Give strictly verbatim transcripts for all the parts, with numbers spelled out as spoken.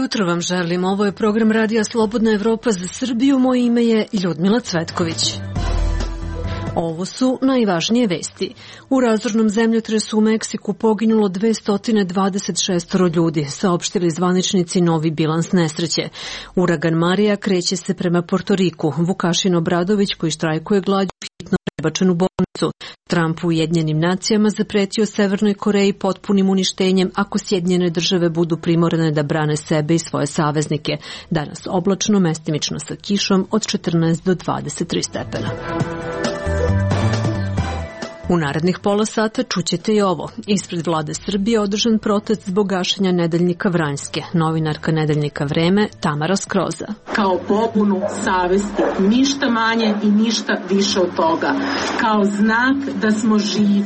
jutro vam želim. Ovo je program Radija Slobodna Evropa za Srbiju. Moje ime je Ljudmila Cvetković. Ovo su najvažnije vesti. U razornom zemljotresu u Meksiku poginulo dvesta dvadeset šest ljudi, saopštili zvaničnici novi bilans nesreće. Uragan Marija kreće se prema Portoriku. Vukašin Obradović, koji štrajkuje glađu, hitno prebačen u bolnicu. Trump u Ujedinjenim nacijama zapretio Severnoj Koreji potpunim uništenjem ako Sjedinjene države budu primorane da brane sebe i svoje saveznike. Danas oblačno, mestimično sa kišom od četrnaest do dvadeset tri stepena. U narednih pola sata čućete i ovo. Ispred vlade Srbije održan protest zbog gašenja nedeljnika Vranjske. Novinarka nedeljnika Vreme Tamara Skroza. Kao pobunu savesti, ništa manje i ništa više od toga. Kao znak da smo živi.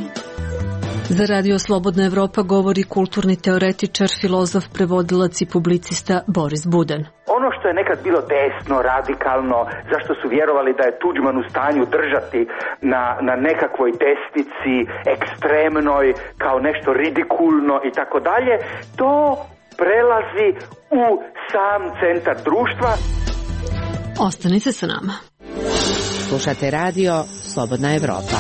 Za Radio Slobodna Evropa govori kulturni teoretičar, filozof, prevodilac i publicista Boris Buden. Ono što je nekad bilo desno, radikalno, zašto su vjerovali da je Tuđman u stanju držati na, na nekakvoj desnici, ekstremnoj, kao nešto ridikulno i tako dalje, to prelazi u sam centar društva. Ostanite sa nama. Slušate Radio Slobodna Evropa.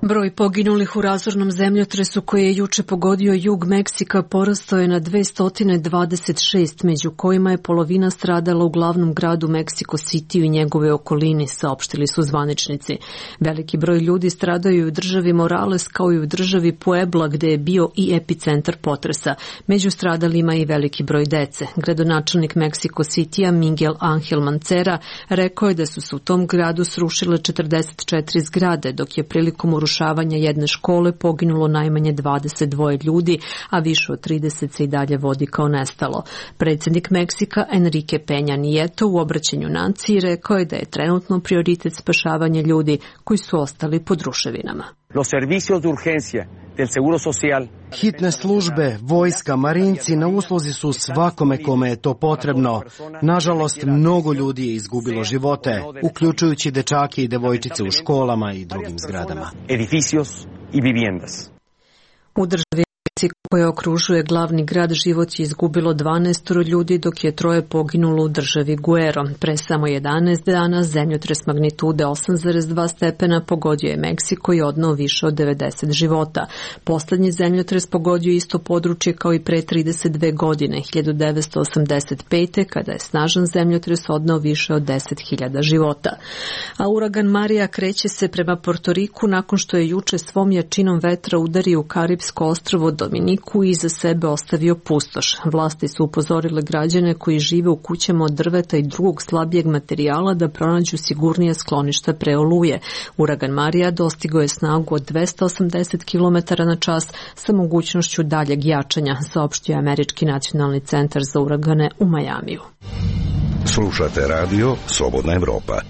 Broj poginulih u razornom zemljotresu koji je juče pogodio jug Meksika porastao je na dvesta dvadeset šest, među kojima je polovina stradala u glavnom gradu Meksiko City i njegove okolini, saopštili su zvaničnici. Veliki broj ljudi stradaju u državi Morales kao i u državi Puebla, gde je bio i epicentar potresa. Među stradalima i veliki broj dece. Gradonačelnik Meksiko Citya Miguel Angel Mancera rekao je da su se u tom gradu srušile četrdeset četiri zgrade, dok je prilikom urušavanja jedne škole poginulo najmanje dvadeset dva ljudi, a više od trideset se i dalje vodi kao nestalo. Predsjednik Meksika Enrique Peña Nieto u obraćanju naciji rekao je da je trenutno prioritet spašavanje ljudi koji su ostali pod ruševinama. Los servicios de urgencia del Seguro Social. Hitne službe, vojska, marinci na usluzi su svakome kome je to potrebno. Nažalost, mnogo ljudi je izgubilo živote, uključujući dečake i devojčice u školama i drugim zgradama. Edificios y viviendas. U državi koja okružuje glavni grad život je izgubilo dvanaest ljudi, dok je troje poginulo u državi Guero. Pre samo jedanaest dana zemljotres magnitude osam zarez dva stepena pogodio je Meksiko i odneo više od devedeset života. Poslednji zemljotres pogodio isto područje kao i pre trideset dve godine, hiljadu devetsto osamdeset pete. kada je snažan zemljotres odneo više od deset hiljada života. A uragan Marija kreće se prema Portoriku nakon što je juče svom jačinom vetra udario u Karipsko ostrvo Dominiku i iza sebe ostavio pustoš. Vlasti su upozorile građane koji žive u kućama od drveta i drugog slabijeg materijala da pronađu sigurnije skloništa pre oluje. Uragan Marija dostigao je snagu od dvesta osamdeset kilometara na čas sa mogućnošću daljeg jačanja, saopštio Američki nacionalni centar za uragane u Majamiju. Slušate Radio Slobodna Evropa.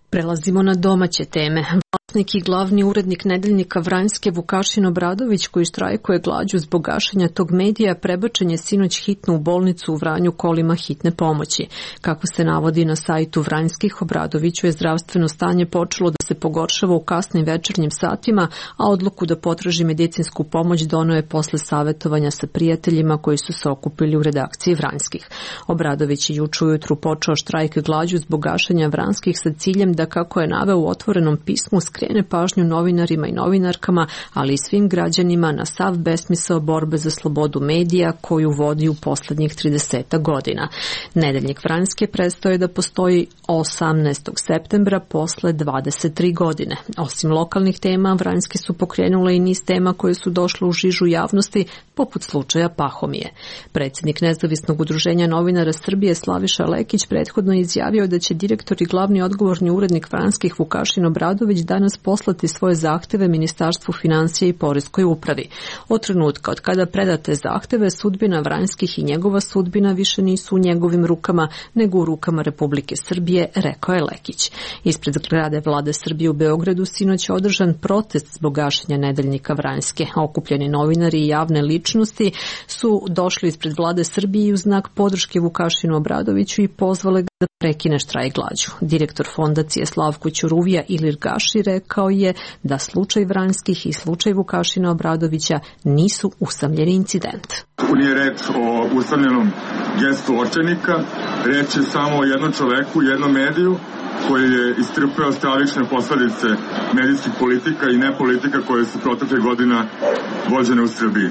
Prelazimo na domaće teme. Vlasnik i glavni urednik nedeljnika Vranjske Vukašin Obradović, koji štrajkuje glađu zbog gašenja tog medija, prebačen je sinoć hitno u bolnicu u Vranju kolima hitne pomoći. Kako se navodi na sajtu Vranjskih, Obradoviću je zdravstveno stanje počelo da se pogoršava u kasnim večernjim satima, a odluku da potraži medicinsku pomoć doneo je posle savetovanja sa prijateljima koji su se okupili u redakciji Vranjskih. Obradović je juče ujutru počeo štrajk glađu zbog gašenja Vranjskih sa ciljem da, kako je naveo u otvorenom pismu, skrene pažnju novinarima i novinarkama, ali i svim građanima na sav besmisao borbe za slobodu medija koju vodi u poslednjih trideset godina. Nedeljnik Vranjske prestao je da postoji osamnaestog septembra posle dvadeset tri godine. Osim lokalnih tema, Vranjske su pokrenule i niz tema koje su došle u žižu javnosti, poput slučaja Pahomije. Predsjednik Nezavisnog udruženja novinara Srbije Slaviša Lekić prethodno izjavio da će direktor i glavni odgovorni urednik Vranjskih Vukašin Obradović danas poslati svoje zahteve Ministarstvu finansija i Poreskoj upravi. Od trenutka od kada predate zahteve, sudbina Vranjskih i njegova sudbina više nisu u njegovim rukama, nego u rukama Republike Srbije, rekao je Lekić. Ispred zgrade vlade Srbije u Beogradu sinoć je održan protest zbog gašenja nedeljnika Vranjske. Okupljeni novinari i javne ličnosti su došli ispred vlade Srbije i u znak podrške Vukašinu Obradoviću i pozvale ga da prekine štrajk glađu. Direktor fondacije Slavko Ćuruvija Ilir Gaši rekao je da slučaj Vranjskih i slučaj Vukašina Obradovića nisu usamljeni incident. Tu nije reč o usamljenom gestu očajnika, reč je samo o jednom čoveku, jednom mediju koji je istrpeo stravične posledice medijskih politika i nepolitika koje su protekle godina vođene u Srbiji.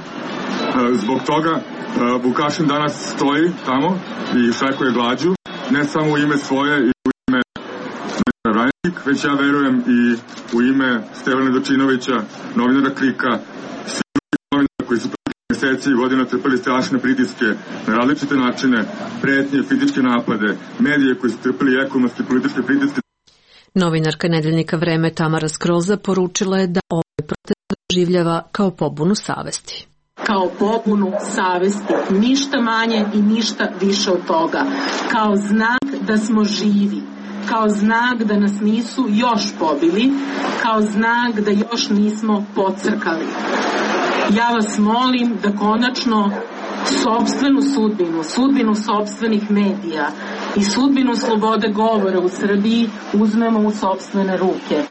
Zbog toga Vukašin danas stoji tamo i štrajkuje glađu, ne samo u ime svoje i u ime Vranjskih, već ja verujem i u ime Stevana Dočinovića, novinara Krika, svih novinara koji su meseci i godina trpeli strašne pritiske na različite načine, pretnje, fizičke napade, medije koji su trpeli ekonomske i političke pritiske. Novinarka nedeljnika Vreme Tamara Skroza poručila je da ovaj protest doživljava kao pobunu savesti. Kao pobunu savesti, ništa manje i ništa više od toga. Kao znak da smo živi, kao znak da nas nisu još pobili, kao znak da još nismo pocrkali. Ja vas molim da konačno sopstvenu sudbinu, sudbinu sopstvenih medija i sudbinu slobode govora u Srbiji uzmemo u sopstvene ruke.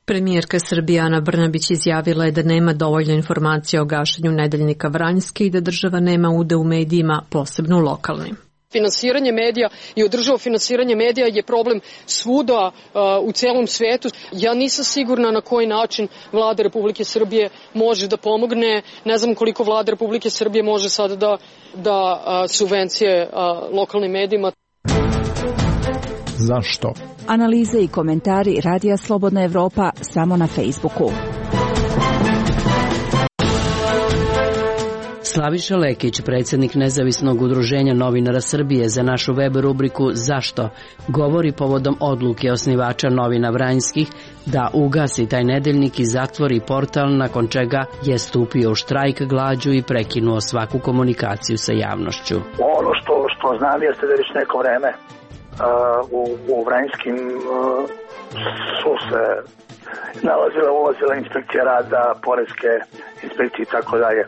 Premijerka Srbije Ana Brnabić izjavila je da nema dovoljno informacija o gašenju nedeljnika Vranjske i da država nema ude u medijima, posebno lokalnim. Finansiranje medija i održivo finansiranje medija je problem svuda uh, u celom svetu. Ja nisam sigurna na koji način Vlada Republike Srbije može da pomogne. Ne znam koliko Vlada Republike Srbije može sad da, da uh, subvencije uh, lokalnim medijima. Zašto? Analize i komentari Radija Slobodna Evropa samo na Facebooku. Slaviša Lekić, predsjednik Nezavisnog udruženja novinara Srbije, za našu web rubriku Zašto? Govori povodom odluke osnivača Novina Vranjskih da ugasi taj nedeljnik i zatvori portal, nakon čega je stupio u štrajk glađu i prekinuo svaku komunikaciju sa javnošću. Ono što, što znam jeste da već neko vreme uh, u, u Vranjskim uh, su se nalazila, ulazila inspekcija rada, poreske inspekcije i tako dalje.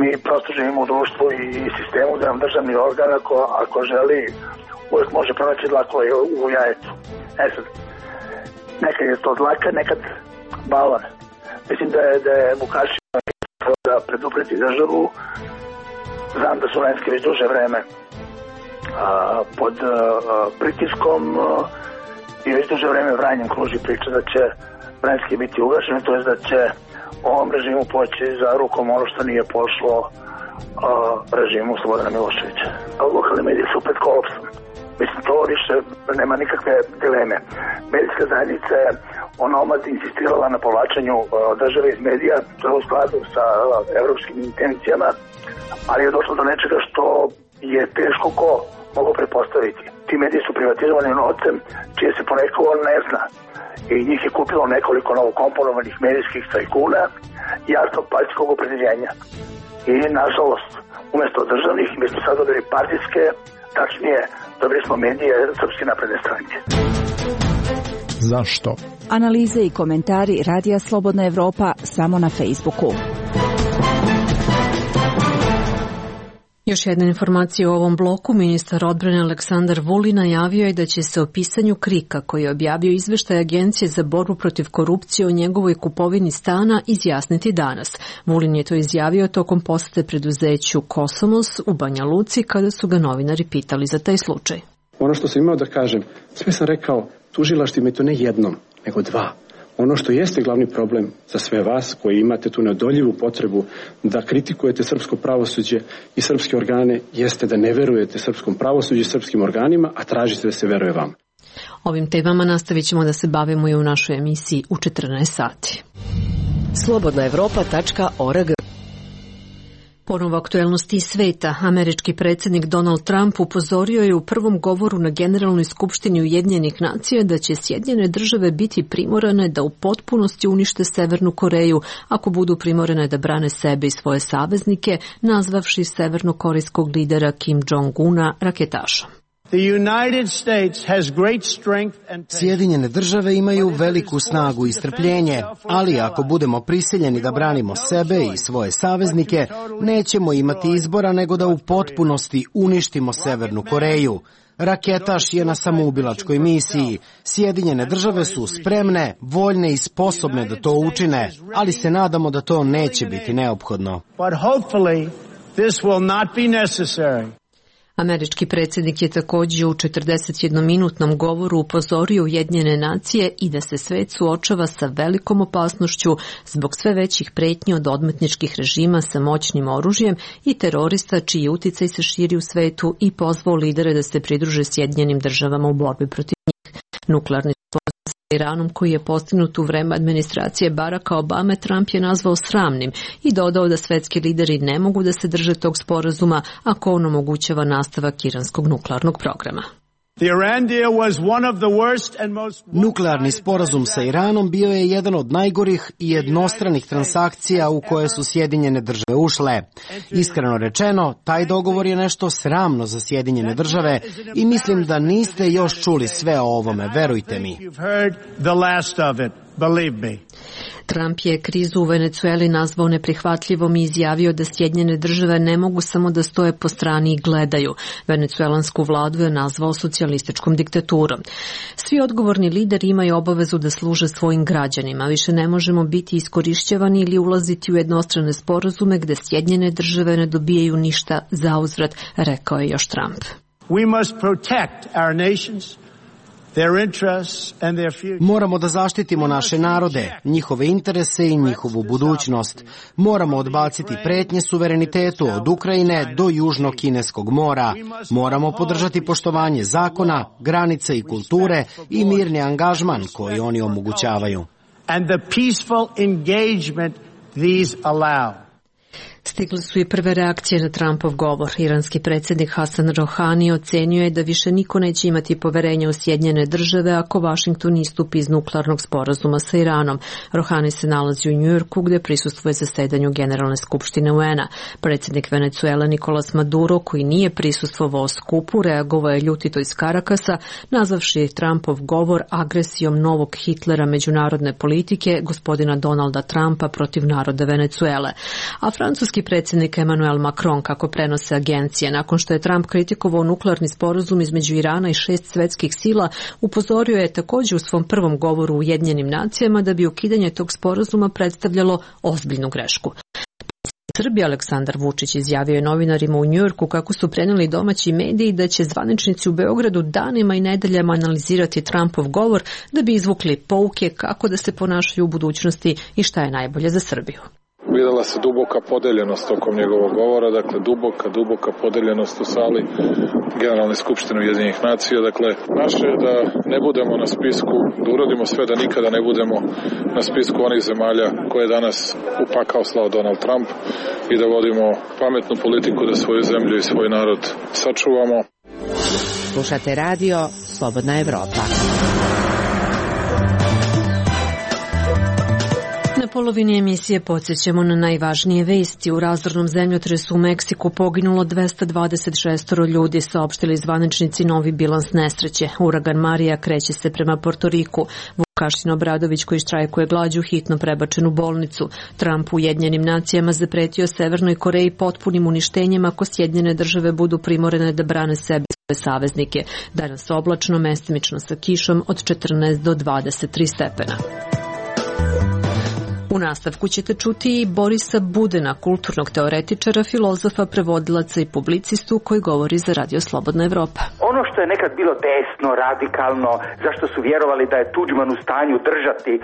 Mi prosto živimo u društvu i sistemu da nam državni organ, ako, ako želi, uvijek može pronaći dlako u jajetu. E sad, nekad je to dlaka, nekad balon. Mislim da je, da je Vukašin da predupredi državu. Znam da su Vranjski već duže vreme a, pod a, pritiskom a, i već duže vreme Vranjem kruži priča da će Vranjski biti ugašen, to je da će ovom režimu poći za rukom ono što nije pošlo uh, režimu Slobodana Miloševića. Lokalne medije su pred kolapsom. Mislim, to više nema nikakve dileme. Medijska zajednica je onomad insistirala na povlačenju uh, države iz medija, to je u skladu sa uh, evropskim intencijama, ali je došlo do nečega što je teško ko mogu pretpostaviti. Ti mediji su privatizovani novcem čije se ponekako ne zna. I njih je kupilo nekoliko novokomponovanih medijskih tajkuna jasnog partijskog opredeljenja. I, nažalost, umjesto državnih, mi smo sad dobili partijske, tačnije, dobili smo medije Srpske napredne stranke. Zašto? Analize i komentari Radija Slobodna Evropa samo na Facebooku. Još jedna informacija u ovom bloku. Ministar odbrane Aleksandar Vulin najavio je da će se o pisanju Krika, koji je objavio izveštaj Agencije za borbu protiv korupcije o njegovoj kupovini stana, izjasniti danas. Vulin je to izjavio tokom posete preduzeću Kosomos u Banja Luci, kada su ga novinari pitali za taj slučaj. Ono što sam imao da kažem, sve sam rekao, tužilaštvima je to ne jednom, nego dva. Ono što jeste glavni problem za sve vas koji imate tu neodoljivu potrebu da kritikujete srpsko pravosuđe i srpske organe, jeste da ne verujete srpskom pravosuđu i srpskim organima, a tražite da se veruje vama. Ovim temama nastavit ćemo da se bavimo i u našoj emisiji u četrnaest sati. slobodna evropa tačka org. Ponovo aktuelnosti iz sveta. Američki predsjednik Donald Trump upozorio je u prvom govoru na Generalnoj skupštini Ujedinjenih nacija da će Sjedinjene države biti primorane da u potpunosti unište Severnu Koreju ako budu primorane da brane sebe i svoje saveznike, nazvavši severnokorejskog lidera Kim Jong-una raketašom. Sjedinjene države imaju veliku snagu i strpljenje, ali ako budemo prisiljeni da branimo sebe i svoje saveznike, nećemo imati izbora nego da u potpunosti uništimo Severnu Koreju. Raketaš je na samoubilačkoj misiji. Sjedinjene države su spremne, voljne i sposobne da to učine, ali se nadamo da to neće biti neophodno. Američki predsjednik je također u četrdesetjednominutnom govoru upozorio Ujedinjene nacije i da se svet suočava sa velikom opasnošću zbog sve većih pretnji od odmetničkih režima sa moćnim oružjem i terorista čiji uticaj se širi u svetu i pozvao lidere da se pridruže Sjedinjenim državama u borbi protiv njih. Nuklearni sporazum sa Iranom koji je postignut u vreme administracije Baracka Obame Trump je nazvao sramnim i dodao da svetski lideri ne mogu da se drže tog sporazuma ako on omogućava nastavak iranskog nuklearnog programa. Nuklearni sporazum sa Iranom bio je jedan od najgorih i jednostranih transakcija u koje su Sjedinjene države ušle. Iskreno rečeno, taj dogovor je nešto sramno za Sjedinjene države i mislim da niste još čuli sve o ovome, verujte mi. Trump je krizu u Venecueli nazvao neprihvatljivom i izjavio da Sjedinjene države ne mogu samo da stoje po strani i gledaju. Venecuelansku vladu je nazvao socijalističkom diktaturom. Svi odgovorni lideri imaju obavezu da služe svojim građanima. Više ne možemo biti iskorišćavani ili ulaziti u jednostrane sporazume gde Sjedinjene države ne dobijaju ništa za uzvrat, rekao je još Trump. We must protect our nations. Moramo da zaštitimo naše narode, njihove interese i njihovu budućnost. Moramo odbaciti pretnje suverenitetu od Ukrajine do Južnog Kineskog mora. Moramo podržati poštovanje zakona, granica i kulture i mirni angažman koji oni omogućavaju. And the peaceful engagement these allow. Stigle su i prve reakcije na Trumpov govor. Iranski predsjednik Hasan Rohani ocenio je da više niko neće imati poverenja u Sjedinjene države ako Washington istupi iz nuklearnog sporazuma sa Iranom. Rohani se nalazi u Njujorku gdje prisustvuje zasedanju Generalne skupštine U N-a. Predsjednik Venecuele Nicolas Maduro, koji nije prisustvovao skupu, reagovao je ljutito iz Karakasa, nazavši Trumpov govor agresijom novog Hitlera međunarodne politike, gospodina Donalda Trumpa protiv naroda Venecuele. A francuski predsjednik Emmanuel Macron, kako prenose agencije, nakon što je Trump kritikovao nuklearni sporazum između Irana i šest svetskih sila, upozorio je također u svom prvom govoru u Ujedinjenim nacijama da bi ukidanje tog sporazuma predstavljalo ozbiljnu grešku. Srbija Aleksandar Vučić izjavio je novinarima u Njujorku kako su prenijeli domaći mediji da će zvaničnici u Beogradu danima i nedeljama analizirati Trumpov govor da bi izvukli pouke kako da se ponašaju u budućnosti i šta je najbolje za Srbiju. Videla se duboka podeljenost tokom njegovog govora, dakle duboka, duboka podeljenost u sali Generalne skupštine Ujedinjenih nacija. Dakle, naše je da ne budemo na spisku, da uradimo sve da nikada ne budemo na spisku onih zemalja koje danas upakao slao Donald Trump i da vodimo pametnu politiku da svoju zemlju i svoj narod sačuvamo. Slušate radio Slobodna Evropa. Na polovini emisije podsjećamo na najvažnije vesti. U razornom zemljotresu u Meksiku poginulo dvesta dvadeset šest ljudi, saopštili zvaničnici novi bilans nesreće. Uragan Marija kreće se prema Portoriku. Vukašin Obradović, koji štrajkuje glađu, hitno prebačen u bolnicu. Trump u Ujedinjenim nacijama zapretio Severnoj Koreji potpunim uništenjem ako Sjedinjene države budu primorene da brane sebi i svoje saveznike. Danas oblačno, mestimično sa kišom od četrnaest do dvadeset tri stepena. U nastavku ćete čuti i Borisa Budena, kulturnog teoretičara, filozofa, prevodilaca i publicistu koji govori za Radio Slobodna Evropa. Ono što je nekad bilo desno, radikalno, zašto su vjerovali da je Tuđman u stanju držati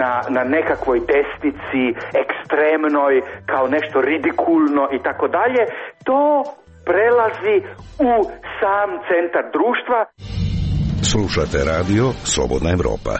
na, na nekakvoj desnici, ekstremnoj, kao nešto ridikulno i tako dalje, to prelazi u sam centar društva. Slušate Radio Slobodna Evropa.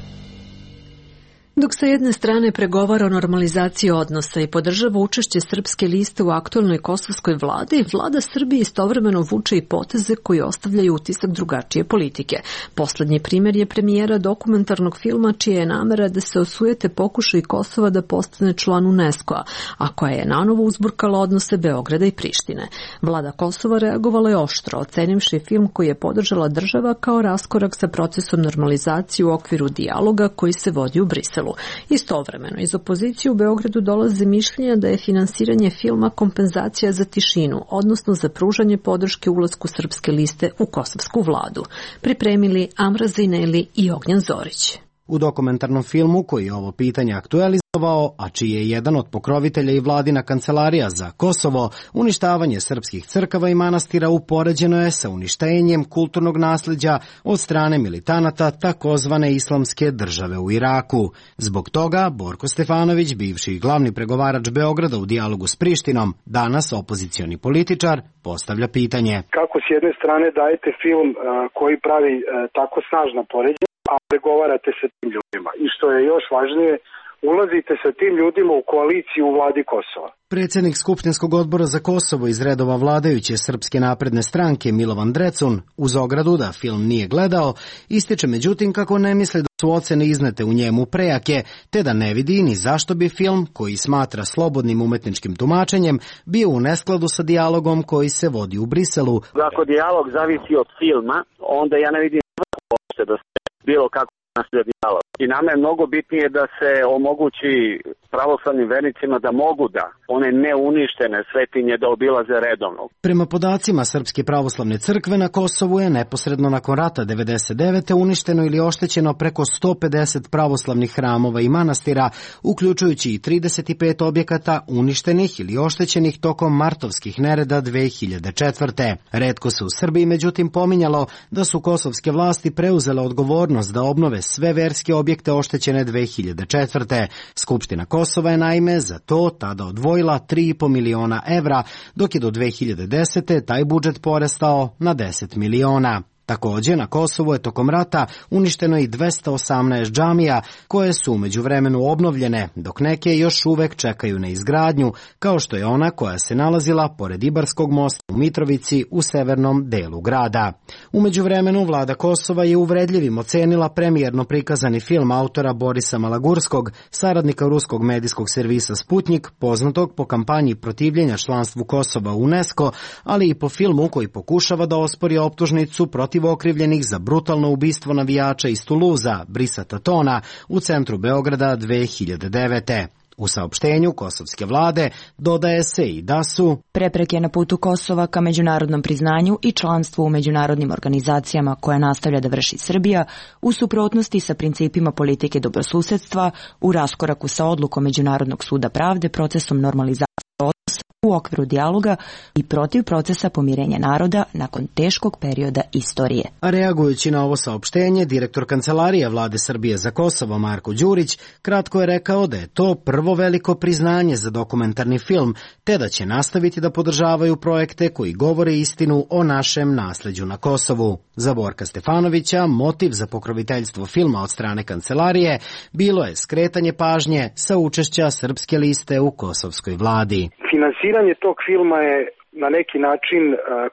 Dok sa jedne strane pregovara o normalizaciji odnosa i podržava učešće srpske liste u aktualnoj kosovskoj vladi, vlada Srbije istovremeno vuče i poteze koji ostavljaju utisak drugačije politike. Poslednji primjer je premijera dokumentarnog filma čija je namera da se osujete pokušaj Kosova da postane član UNESCO-a, a koja je nanovo uzburkala odnose Beograda i Prištine. Vlada Kosova reagovala je oštro, ocenivši film koji je podržala država kao raskorak sa procesom normalizacije u okviru dijaloga koji se vodi u Briselu. festivalu. Istovremeno, iz opozicije u Beogradu dolaze mišljenja da je finansiranje filma kompenzacija za tišinu, odnosno za pružanje podrške ulasku Srpske liste u kosovsku vladu. Pripremili Amra Zejneli i Ognjan Zorić. U dokumentarnom filmu koji je ovo pitanje aktualizovao, a čiji je jedan od pokrovitelja i vladina kancelarija za Kosovo, uništavanje srpskih crkava i manastira upoređeno je sa uništenjem kulturnog nasleđa od strane militanata takozvane islamske države u Iraku. Zbog toga, Borko Stefanović, bivši glavni pregovarač Beograda u dijalogu s Prištinom, danas opozicioni političar, postavlja pitanje. Kako s jedne strane dajete film koji pravi tako snažna poređenja, a pregovarate sa tim ljudima. I što je još važnije, ulazite sa tim ljudima u koaliciju u vladi Kosova. Predsjednik Skupštinskog odbora za Kosovo iz redova vladajuće Srpske napredne stranke Milovan Drecun, uz ogradu da film nije gledao, ističe međutim kako ne misli da su ocene iznete u njemu prejake, te da ne vidi ni zašto bi film, koji smatra slobodnim umetničkim tumačenjem, bio u neskladu sa dijalogom koji se vodi u Briselu. Ako dijalog zavisi od filma, onda ja ne vidim da se bilo kako nastavlja dijalog. I nama je mnogo bitnije da se omogući pravoslavnim vernicima da mogu da one neuništene svetinje da obilaze redovno. Prema podacima Srpske pravoslavne crkve na Kosovu je neposredno nakon rata devedeset devete uništeno ili oštećeno preko sto pedeset pravoslavnih hramova i manastira, uključujući i trideset pet objekata uništenih ili oštećenih tokom martovskih nereda dve hiljade četvrte. Retko se u Srbiji međutim pominjalo da su kosovske vlasti preuzele odgovornost da obnove sve verske objekte oštećene dve hiljade četvrte. Skupština Kosova je naime za to tada odvojila tri i po miliona evra, dok je do dve hiljade desete taj budžet porastao na deset miliona. Također, na Kosovu je tokom rata uništeno i dvesta osamnaest džamija, koje su u međuvremenu obnovljene, dok neke još uvek čekaju na izgradnju, kao što je ona koja se nalazila pored Ibarskog mosta u Mitrovici u severnom delu grada. U međuvremenu vlada Kosova je uvredljivim ocenila premijerno prikazani film autora Borisa Malagurskog, saradnika ruskog medijskog servisa Sputnjik, poznatog po kampanji protivljenja članstvu Kosova u UNESCO, ali i po filmu koji pokušava da ospori optužnicu protiv okrivljenih za brutalno ubistvo navijača iz Tuluza, Brisa Tatona, u centru Beograda dve hiljade devete. U saopštenju kosovske vlade dodaje se i da su prepreke na putu Kosova ka međunarodnom priznanju i članstvu u međunarodnim organizacijama koje nastavlja da vrši Srbija u suprotnosti sa principima politike dobrosusedstva, u raskoraku sa odlukom Međunarodnog suda pravde, procesom normalizacije odnosa u okviru dijaloga i protiv procesa pomirenja naroda nakon teškog perioda istorije. A reagujući na ovo saopštenje, direktor Kancelarije vlade Srbije za Kosovo Marko Đurić kratko je rekao da je to prvo veliko priznanje za dokumentarni film, te da će nastaviti da podržavaju projekte koji govore istinu o našem nasleđu na Kosovu. Za Borka Stefanovića motiv za pokroviteljstvo filma od strane Kancelarije bilo je skretanje pažnje sa učešća Srpske liste u kosovskoj vladi. Finansiranje tog filma je na neki način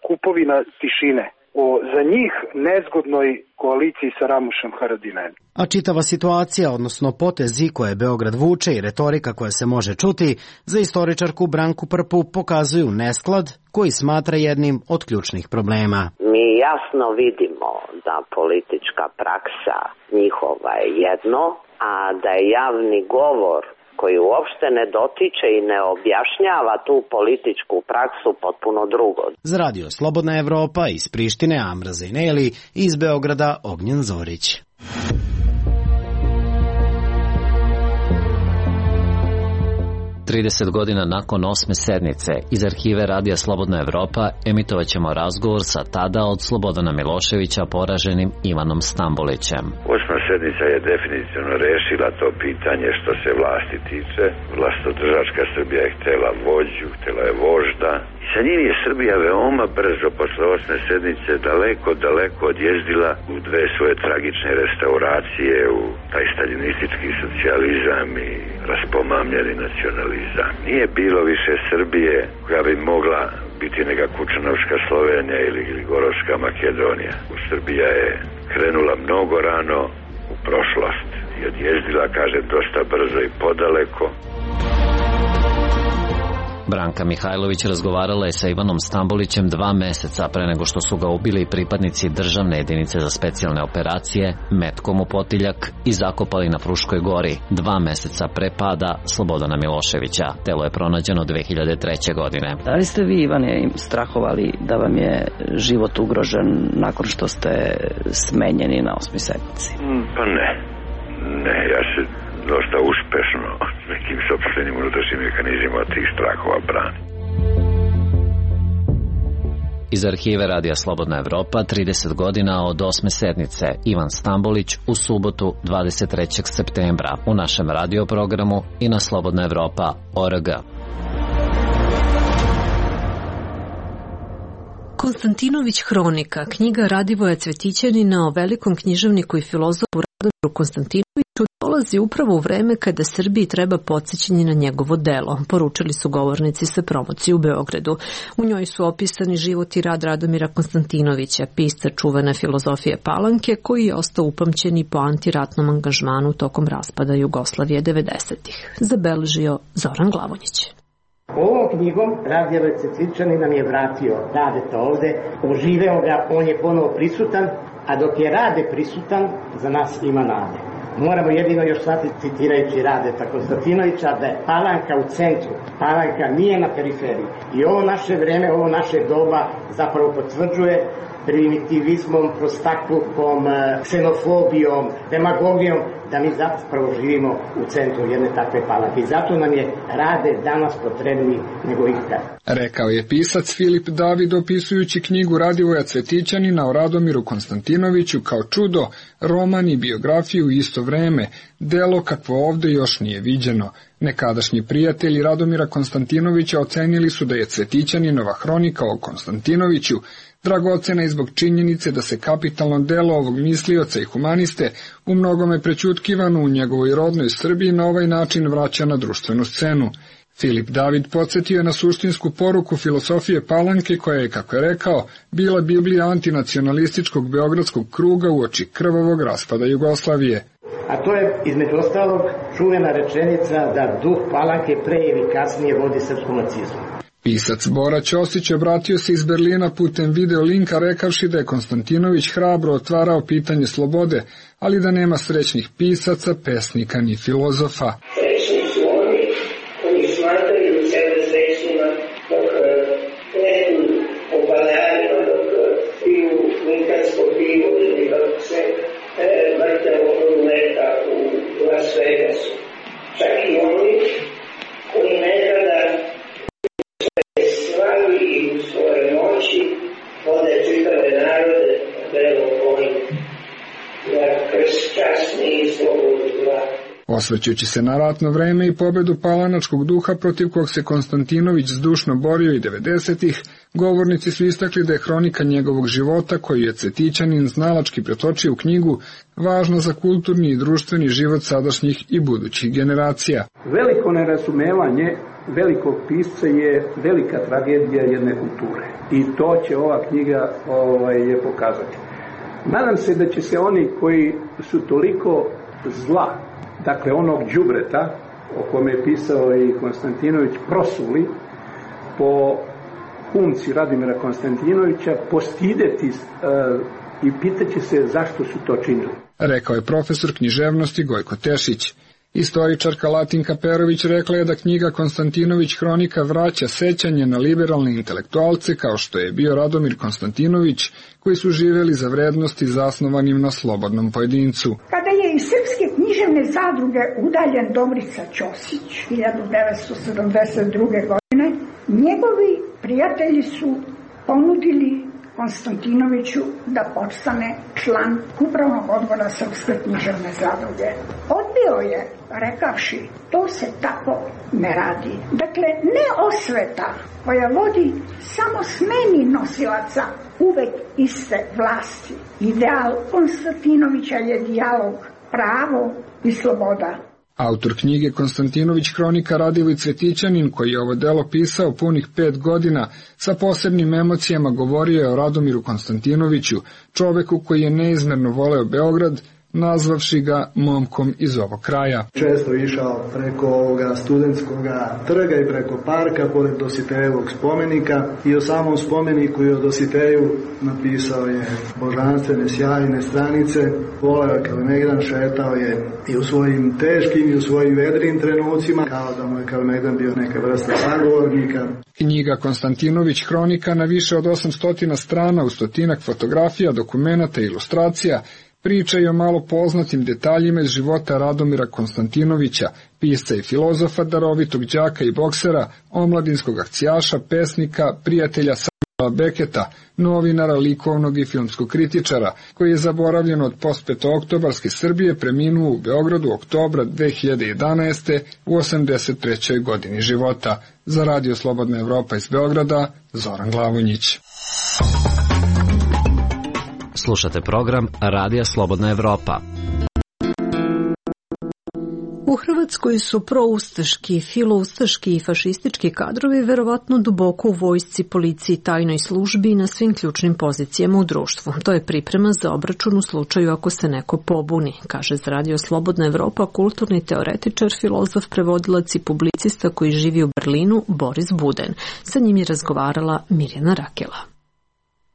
kupovina tišine o za njih nezgodnoj koaliciji sa Ramušem Haradinajem. A čitava situacija, odnosno potezi koje Beograd vuče i retorika koja se može čuti, za istoričarku Branku Prpu pokazuju nesklad koji smatra jednim od ključnih problema. Mi jasno vidimo da politička praksa njihova je jedno, a da je javni govor koji uopšte ne dotiče i ne objašnjava tu političku praksu potpuno drugo. Za radio Slobodna Evropa iz Prištine Amra Zejneli, iz Beograda Ognjen Zorić. trideset godina nakon osme sednice iz arhive Radija Slobodna Evropa emitovat ćemo razgovor sa tada od Slobodana Miloševića poraženim Ivanom Stambolićem. Osma sednica je definitivno rešila to pitanje što se vlasti tiče. Vlastodržačka Srbija je htela vođu, htela je vožda. I sa njim je Srbija veoma brzo posle osme sednice daleko, daleko odjezdila u dve svoje tragične restauracije, u taj staljinistički socijalizam i raspomamljeni nacionalizam. Nije bilo više Srbije koja bi mogla biti neka Kučanovška Slovenija ili, ili Gorovška Makedonija. Srbija je krenula mnogo rano u prošlost i odjezdila, kažem, dosta brzo i podaleko. Branka Mihajlović razgovarala je sa Ivanom Stambolićem dva meseca pre nego što su ga ubili pripadnici državne jedinice za specijalne operacije metkom u potiljak i zakopali na Fruškoj gori dva meseca pre pada Slobodana Miloševića. Telo je pronađeno dve hiljade treće. godine. Da li ste vi, Ivane, strahovali da vam je život ugrožen nakon što ste smenjeni na osmoj sednici? Pa ne. Ne, ja se dosta uspešno nekim sopstvenim unutrašnjim mehanizmima tih strahova brani. Iz arhive Radija Slobodna Evropa, trideset godina od osme sednice, Ivan Stambolić u subotu dvadeset trećeg septembra u našem radioprogramu i na slobodna evropa tačka org. Konstantinović hronika, knjiga Radivoja Cvetićanina o velikom književniku i filozofu Radomiru Konstantinoviću, dolazi upravo u vreme kada Srbiji treba podsjećanje na njegovo delo, poručili su govornici sa promocije u Beogradu. U njoj su opisani život i rad Radomira Konstantinovića, pisca čuvene filozofije Palanke, koji je ostao upamćen i po antiratnom angažmanu tokom raspada Jugoslavije devedesetih. Zabeležio Zoran Glavonjić. Ovom knjigom Radivoje Cvetićanin nam je vratio Radeta ovde, oživeo ga, on je ponovo prisutan, a dok je Rade prisutan, za nas ima nade. Moramo jedino još shvatiti, citirajući Radeta Konstantinovića, da je Palanka u centru, Palanka nije na periferiji. I ovo naše vreme, ovo naše doba zapravo potvrđuje primitivizmom, prostaklukom, ksenofobijom, demagogijom, da mi zapravo živimo u centru jedne takve Palanke. I zato nam je Rade danas potrebni nego ikad. Rekao je pisac Filip David opisujući knjigu Radivoja Cvetićanina o Radomiru Konstantinoviću kao čudo, roman i biografiju u isto vreme, delo kakvo ovde još nije viđeno. Nekadašnji prijatelji Radomira Konstantinovića ocenili su da je Cvetićaninova hronika o Konstantinoviću dragocena i zbog činjenice da se kapitalno delo ovog mislioca i humaniste u mnogome prećutkivano u njegovoj rodnoj Srbiji na ovaj način vraća na društvenu scenu. Filip David podsjetio je na suštinsku poruku filosofije Palanke koja je, kako je rekao, bila Biblija antinacionalističkog beogradskog kruga uoči krvavog raspada Jugoslavije. A to je, između ostalog, čuvena rečenica da duh Palanke pre ili kasnije vodi srpskom nacizmu. Pisac Bora Ćosić obratio se iz Berlina putem video linka rekavši da je Konstantinović hrabro otvarao pitanje slobode, ali da nema srećnih pisaca, pesnika ni filozofa. Srećni su oni koji smatraju sebe srećnima dok letu po balerima, dok piju vinkarsko pivo ili dok se vrte oko leta u Las Vegasu. Čak i oni koji nekada slavi i u svoje moći vode čitave narode na belo polje, da kroz časni i slobodni vlak. Osvrćući se na ratno vreme i pobedu palanačkog duha protiv kog se Konstantinović zdušno borio i devedesetih, govornici su istakli da je hronika njegovog života, koju je Cvetićanin znalački pretočio u knjigu, važna za kulturni i društveni život sadašnjih i budućih generacija. Veliko nerazumevanje velikog pisca je velika tragedija jedne kulture i to će ova knjiga ovaj, je pokazati. Nadam se da će se oni koji su toliko zla, dakle onog đubreta o kome je pisao i Konstantinović, prosuli po humci Radomira Konstantinovića, postideti uh, i pitaće se zašto su to činili. Rekao je profesor književnosti Gojko Tešić. Istoričarka Latinka Perović rekla je da knjiga Konstantinović hronika vraća sećanje na liberalne intelektualce kao što je bio Radomir Konstantinović, koji su živeli za vrednosti zasnovanim na slobodnom pojedincu. Kada je iz Srpske književne zadruge udaljen Dobrica Ćosić hiljadu devetsto sedamdeset druge. godine, njegovi prijatelji su ponudili Konstantinoviću da postane član upravnog odbora Srpske književne zadruge. Odbio je, rekavši, to se tako ne radi. Dakle, ne osveta koja vodi samo smeni nosilaca uvek iste vlasti. Ideal Konstantinovića je dijalog, pravo i sloboda. Autor knjige Konstantinović hronika Radivoj Cvetićanin, koji je ovo delo pisao punih pet godina, sa posebnim emocijama govorio je o Radomiru Konstantinoviću, čoveku koji je neizmerno voleo Beograd, nazvavši ga momkom iz ovog kraja. Često išao preko ovoga studentskog trga i preko parka pored Dositejevog spomenika i o samom spomeniku i o Dositeju napisao je božanstvene sjajne stranice. Voleo Kalemegdan, šetao je i u svojim teškim i u svojim vedrim trenucima, kao da mu je Kalemegdan bio neka vrsta sagovornika. Knjiga Konstantinović hronika na više od osamsto strana u stotinak fotografija, dokumenata i ilustracija pričaju o malo poznatim detaljima iz života Radomira Konstantinovića, pisca i filozofa, darovitog đaka i boksera, omladinskog akcijaša, pesnika, prijatelja Samuela Beketa, novinara, likovnog i filmskog kritičara, koji je zaboravljen od postpetooktobarske Srbije preminuo u Beogradu oktobra dve hiljade jedanaeste. u osamdeset trećoj godini života. Za Radio Slobodna Evropa iz Beograda, Zoran Glavonjić. Slušate program Radija Slobodna Evropa. U Hrvatskoj su proustaški, filoustaški i fašistički kadrovi verovatno duboko u vojsci, policiji, tajnoj službi i na svim ključnim pozicijama u društvu. To je priprema za obračun u slučaju ako se neko pobuni, kaže za Radio Slobodna Evropa kulturni teoretičar, filozof, prevodilac i publicista koji živi u Berlinu, Boris Buden. Sa njim je razgovarala Mirjana Rakela.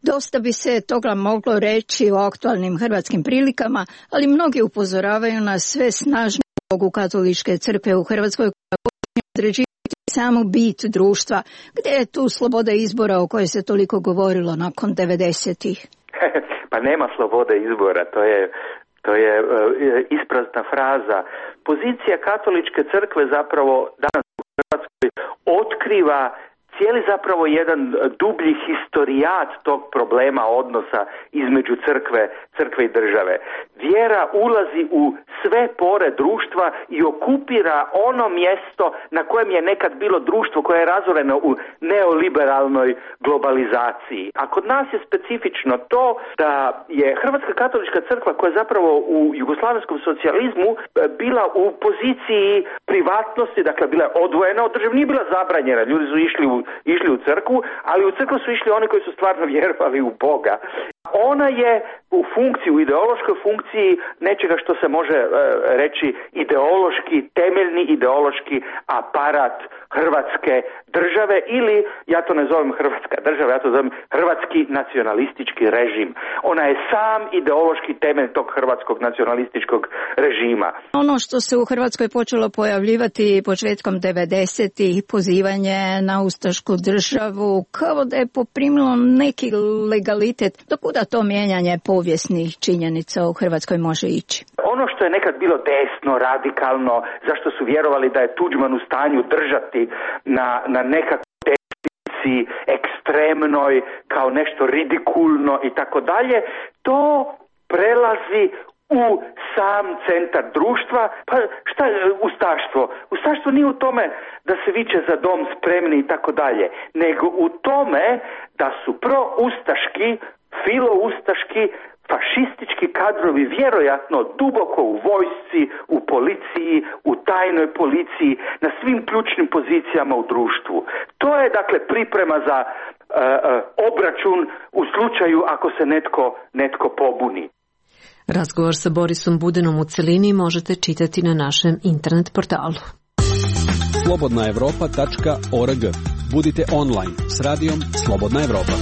Dosta bi se toga moglo reći o aktualnim hrvatskim prilikama, ali mnogi upozoravaju na sve snažnu ulogu katoličke crkve u Hrvatskoj koja počinje određivati samu bit društva. Gde je tu sloboda izbora o kojoj se toliko govorilo nakon devedesetih? Pa nema slobode izbora, to je, to je uh, isprazna fraza. Pozicija katoličke crkve zapravo danas u Hrvatskoj otkriva cijeli zapravo jedan dublji historijat tog problema odnosa između crkve, crkve i države. Vjera ulazi u sve pore društva i okupira ono mjesto na kojem je nekad bilo društvo koje je razoreno u neoliberalnoj globalizaciji. A kod nas je specifično to da je Hrvatska katolička crkva, koja je zapravo u jugoslavenskom socijalizmu bila u poziciji privatnosti, dakle bila je odvojena od države, nije bila zabranjena, ljudi su išli u išli u crkvu, ali u crkvu su išli oni koji su stvarno vjerovali u Boga. Ona je u funkciji, u ideološkoj funkciji nečega što se može e, reći ideološki, temeljni ideološki aparat Hrvatske države, ili ja to ne zovem Hrvatska država, ja to zovem hrvatski nacionalistički režim. Ona je sam ideološki temelj tog hrvatskog nacionalističkog režima. Ono što se u Hrvatskoj počelo pojavljivati početkom devedesetih, pozivanje na ustašku državu, kao da je poprimilo neki legalitet. Do kuda to mijenjanje povijesnih činjenica u Hrvatskoj može ići? Ono što je nekad bilo desno, radikalno, zašto su vjerovali da je Tuđman u stanju držati na, na nekakvoj desnici ekstremnoj, kao nešto ridikulno i tako dalje, to prelazi u sam centar društva. Pa šta je ustaštvo? Ustaštvo nije u tome da se viče za dom spremni i tako dalje, nego u tome da su proustaški, filoustaški, fašistički kadrovi vjerojatno duboko u vojsci, u policiji, u tajnoj policiji, na svim ključnim pozicijama u društvu. To je dakle priprema za uh, uh, obračun u slučaju ako se netko, netko pobuni. Razgovor sa Borisom Budenom u celini možete čitati na našem internet portalu. slobodna evropa tačka org. Budite online s radijom Slobodna Evropa.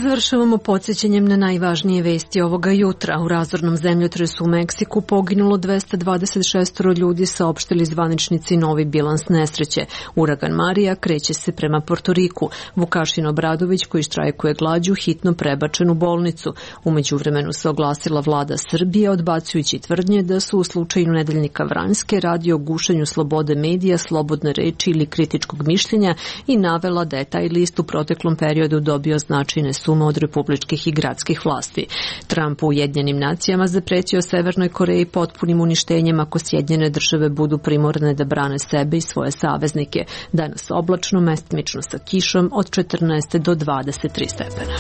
Završavamo podsjećanjem na najvažnije vesti ovoga jutra. U razornom zemljotresu u Meksiku poginulo dvesta dvadeset šest ljudi, saopštili zvaničnici novi bilans nesreće. Uragan Marija kreće se prema Portoriku. Vukašin Obradović, koji štrajkuje glađu, hitno prebačen u bolnicu. U međuvremenu se oglasila vlada Srbije, odbacujući tvrdnje da su u slučaju nedeljnika Vranjske radi o gušenju slobode medija, slobodne reči ili kritičkog mišljenja i navela da je taj list u proteklom periodu dobio značajne sume od republičkih i gradskih vlasti. Trump u Ujedinjenim nacijama zapretio Severnoj Koreji potpunim uništenjem ako Sjedinjene države budu primorane da brane sebe i svoje saveznike. Danas oblačno, mestimično sa kišom od četrnaest do dvadeset tri stepena.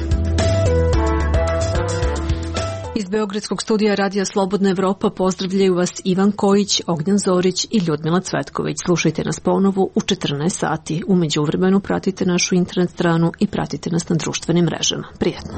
Iz Beogradskog studija Radija Slobodna Evropa pozdravljaju vas Ivan Kojić, Ognjan Zorić i Ljudmila Cvetković. Slušajte nas ponovo u četrnaest sati. U međuvremenu pratite našu internet stranu i pratite nas na društvenim mrežama. Prijetno.